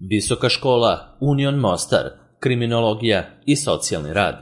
Visoka škola Union Mostar, kriminologija i socijalni rad.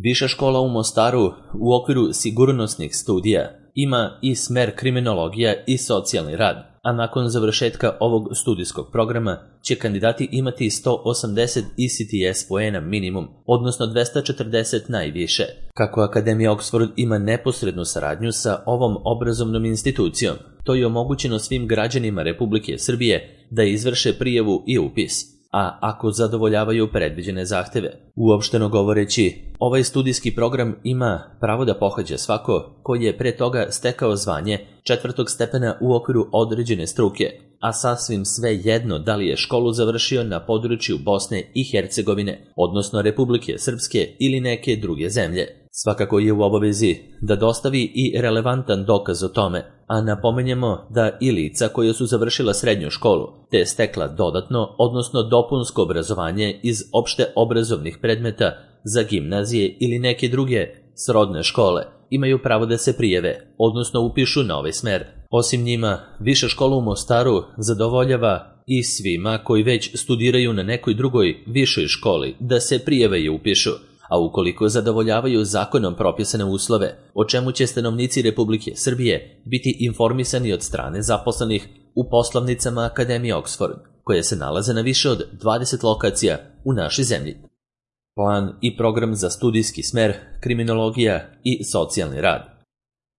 Viša škola u Mostaru u okviru sigurnosnih studija ima i smer kriminologija i socijalni rad, a nakon završetka ovog studijskog programa će kandidati imati 180 ECTS poena minimum, odnosno 240 najviše. Kako Akademija Oxford ima neposrednu saradnju sa ovom obrazovnom institucijom, to je omogućeno svim građanima Republike Srbije da izvrše prijavu i upis, a ako zadovoljavaju predviđene zahteve. Uopšteno govoreći, ovaj studijski program ima pravo da pohađa svako koji je pre toga stekao zvanje 4. stepena u okviru određene struke, a sasvim sve jedno da li je školu završio na području Bosne i Hercegovine, odnosno Republike Srpske ili neke druge zemlje. Svakako je u obavezi da dostavi i relevantan dokaz o tome, a napomenjemo da i lica koja su završila srednju školu te stekla dodatno, odnosno dopunsko obrazovanje iz opšte obrazovnih predmeta za gimnazije ili neke druge srodne škole, imaju pravo da se prijave, odnosno upišu na ovaj smer. Osim njima, Viša škola u Mostaru zadovoljava i svima koji već studiraju na nekoj drugoj višoj školi da se prijave i upišu, a ukoliko zadovoljavaju zakonom propisane uslove, o čemu će stanovnici Republike Srbije biti informisani od strane zaposlenih u poslovnicama Akademije Oxford, koje se nalaze na više od 20 lokacija u našoj zemlji. Plan i program za studijski smer kriminologija i socijalni rad.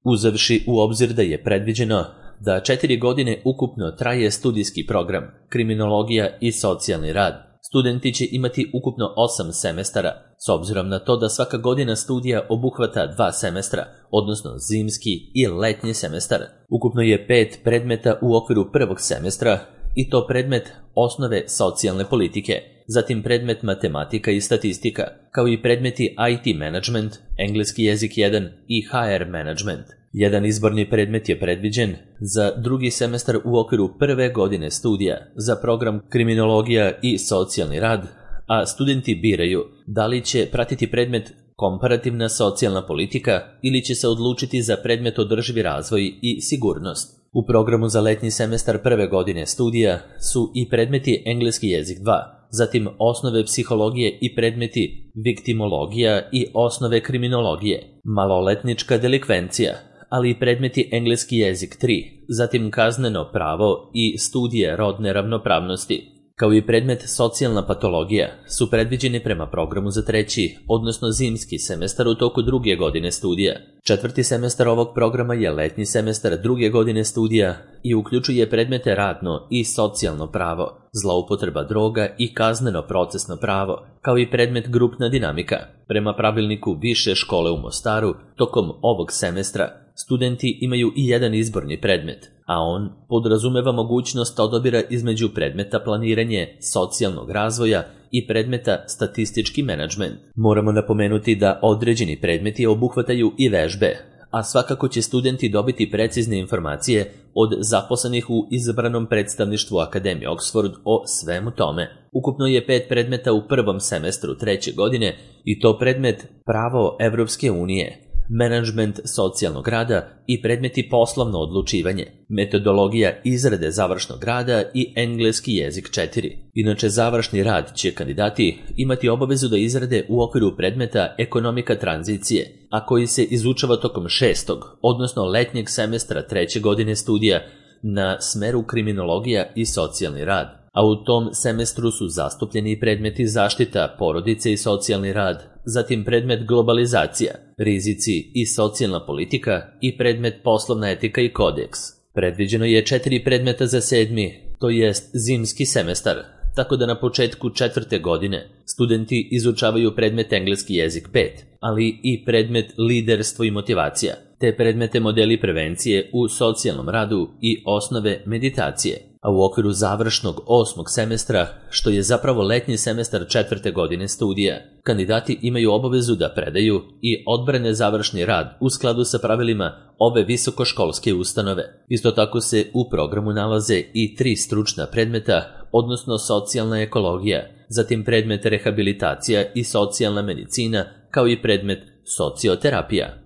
Uzevši u obzir da je predviđeno da 4 godine ukupno traje studijski program kriminologija i socijalni rad, studenti će imati ukupno 8 semestara, s obzirom na to da svaka godina studija obuhvata 2 semestra, odnosno zimski i letnji semestar. Ukupno je 5 predmeta u okviru prvog semestra, i to predmet osnove socijalne politike, zatim predmet matematika i statistika, kao i predmeti IT management, engleski jezik 1 i HR management. Jedan izborni predmet je predviđen za drugi semestar u okviru prve godine studija za program kriminologija i socijalni rad, a studenti biraju da li će pratiti predmet komparativna socijalna politika ili će se odlučiti za predmet održivi razvoj i sigurnost. U programu za letnji semestar prve godine studija su i predmeti engleski jezik 2, zatim osnove psihologije i predmeti viktimologija i osnove kriminologije, maloletnička delikvencija, ali i predmeti engleski jezik 3, zatim kazneno pravo i studije rodne ravnopravnosti, kao i predmet socijalna patologija, su predviđeni prema programu za treći, odnosno zimski semestar u toku druge godine studija. Četvrti semestar ovog programa je letnji semestar druge godine studija i uključuje predmete radno i socijalno pravo, zloupotreba droga i kazneno procesno pravo, kao i predmet grupna dinamika. Prema pravilniku Više škole u Mostaru, tokom ovog semestra, studenti imaju i jedan izborni predmet, a on podrazumeva mogućnost odabira između predmeta planiranje socijalnog razvoja i predmeta statistički menadžment. Moramo napomenuti da određeni predmeti obuhvataju i vežbe, a svakako će studenti dobiti precizne informacije od zaposlenih u izabranom predstavništvu Akademije Oxford o svemu tome. Ukupno je 5 predmeta u prvom semestru treće godine i to predmet pravo Evropske unije, menadžment socijalnog rada i predmeti poslovno odlučivanje, metodologija izrade završnog rada i engleski jezik 4. Inače, završni rad će kandidati imati obavezu da izrade u okviru predmeta ekonomika tranzicije, a koji se izučava tokom 6. odnosno letnjeg semestra treće godine studija na smeru kriminologija i socijalni rad. A u tom semestru su zastupljeni predmeti zaštita porodice i socijalni rad, zatim predmet globalizacija, rizici i socijalna politika i predmet poslovna etika i kodeks. Predviđeno je 4 predmeta za 7., to jest zimski semestar, tako da na početku 4. godine studenti izučavaju predmet engleski jezik 5, ali i predmet liderstvo i motivacija, te predmete modeli prevencije u socijalnom radu i osnove meditacije. A u okviru završnog 8. semestra, što je zapravo letnji semestar 4. godine studija, kandidati imaju obavezu da predaju i odbrane završni rad u skladu sa pravilima ove visokoškolske ustanove. Isto tako se u programu nalaze i 3 stručna predmeta, odnosno socijalna ekologija, zatim predmet rehabilitacija i socijalna medicina, kao i predmet socioterapija.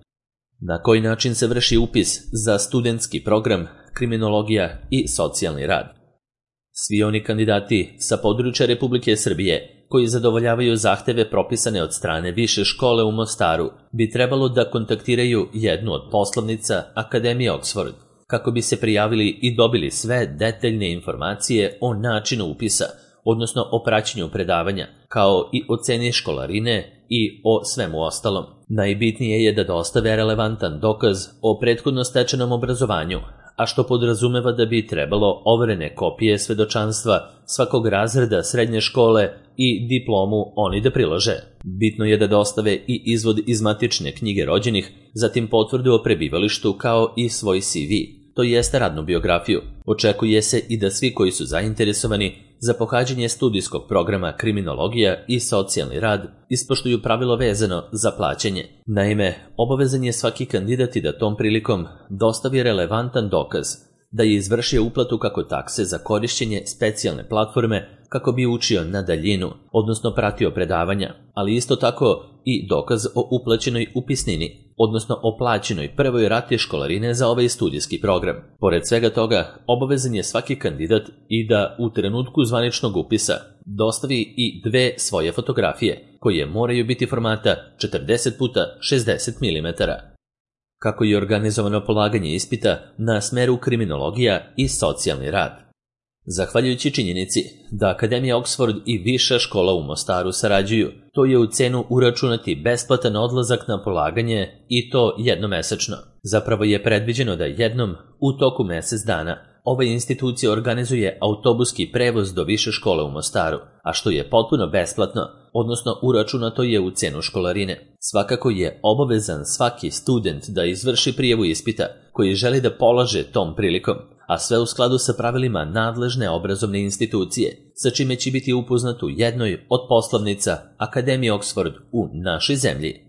Na koji način se vrši upis za studentski program kriminologija i socijalni rad? Svi oni kandidati sa područja Republike Srbije koji zadovoljavaju zahteve propisane od strane Više škole u Mostaru bi trebalo da kontaktiraju jednu od poslovnica Akademije Oxford kako bi se prijavili i dobili sve detaljne informacije o načinu upisa, odnosno o praćenju predavanja, kao i o ceni školarine i o svemu ostalom. Najbitnije je da dostave relevantan dokaz o prethodno stečenom obrazovanju, a što podrazumeva da bi trebalo overene kopije svedočanstva svakog razreda srednje škole i diplomu oni da prilože. Bitno je da dostave i izvod iz matične knjige rođenih, zatim potvrdu o prebivalištu kao i svoj CV, to jeste radnu biografiju. Očekuje se i da svi koji su zainteresovani za pohađanje studijskog programa Kriminologija i socijalni rad ispoštuju pravilo vezano za plaćanje. Naime, obavezan je svaki kandidat i da tom prilikom dostavi relevantan dokaz da je izvršio uplatu kako takse za korišćenje specijalne platforme kako bi učio na daljinu, odnosno pratio predavanja, ali isto tako i dokaz o uplaćenoj upisnini, odnosno o plaćenoj prvoj rati školarine za ovaj studijski program. Pored svega toga, obavezan je svaki kandidat i da u trenutku zvaničnog upisa dostavi i 2 svoje fotografije, koje moraju biti formata 40x60 mm. Kako je organizovano polaganje ispita na smeru Kriminologija i socijalni rad? Zahvaljujući činjenici da Akademija Oxford i Viša škola u Mostaru sarađuju, to je u cenu uračunati besplatan odlazak na polaganje i to jednomesečno. Zapravo je predviđeno da jednom u toku mesec dana ova institucija organizuje autobuski prevoz do Više škole u Mostaru, a što je potpuno besplatno, odnosno uračunato je u cenu školarine. Svakako je obavezan svaki student da izvrši prijavu ispita koji želi da polaže tom prilikom, a sve u skladu sa pravilima nadležne obrazovne institucije, sa čime će biti upoznat u jednoj od poslovnica Akademije Oxford u našoj zemlji.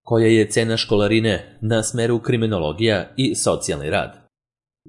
Koja je cena školarine na smeru Kriminologija i socijalni rad?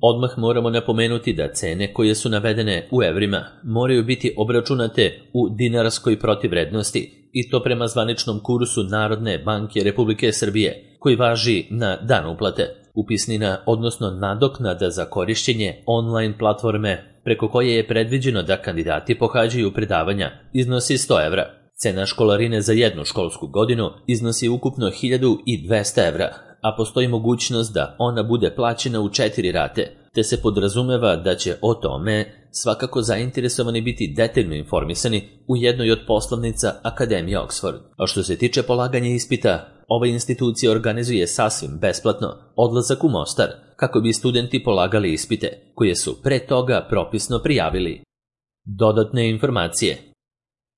Odmah moramo napomenuti da cene koje su navedene u evrima moraju biti obračunate u dinarskoj protivvrednosti i to prema zvaničnom kursu Narodne banke Republike Srbije koji važi na dan uplate. Upisnina, odnosno nadoknada za korišćenje online platforme preko koje je predviđeno da kandidati pohađaju predavanja iznosi 100 evra. Cena školarine za jednu školsku godinu iznosi ukupno 1200 evra, a postoji mogućnost da ona bude plaćena u 4 rate, te se podrazumeva da će o tome svakako zainteresovani biti detaljno informisani u jednoj od poslovnica Akademije Oxford. A što se tiče polaganja ispita, ova institucija organizuje sasvim besplatno odlazak u Mostar kako bi studenti polagali ispite koje su pre toga propisno prijavili. Dodatne informacije.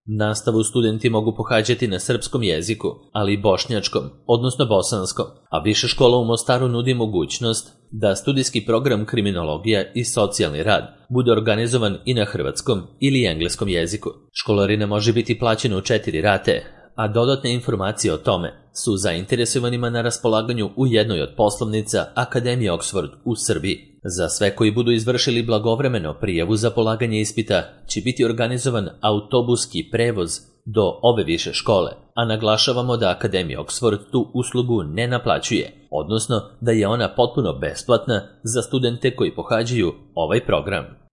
Nastavu studenti mogu pohađati na srpskom jeziku, ali i bošnjačkom, odnosno bosanskom, a Viša škola u Mostaru nudi mogućnost da studijski program Kriminologija i socijalni rad bude organizovan i na hrvatskom ili engleskom jeziku. Školarina može biti plaćena u 4 rate, a dodatne informacije o tome su zainteresovanima na raspolaganju u jednoj od poslovnica Akademije Oxford u Srbiji. Za sve koji budu izvršili blagovremeno prijavu za polaganje ispita će biti organizovan autobuski prevoz do ove više škole, a naglašavamo da Akademija Oxford tu uslugu ne naplaćuje, odnosno da je ona potpuno besplatna za studente koji pohađaju ovaj program.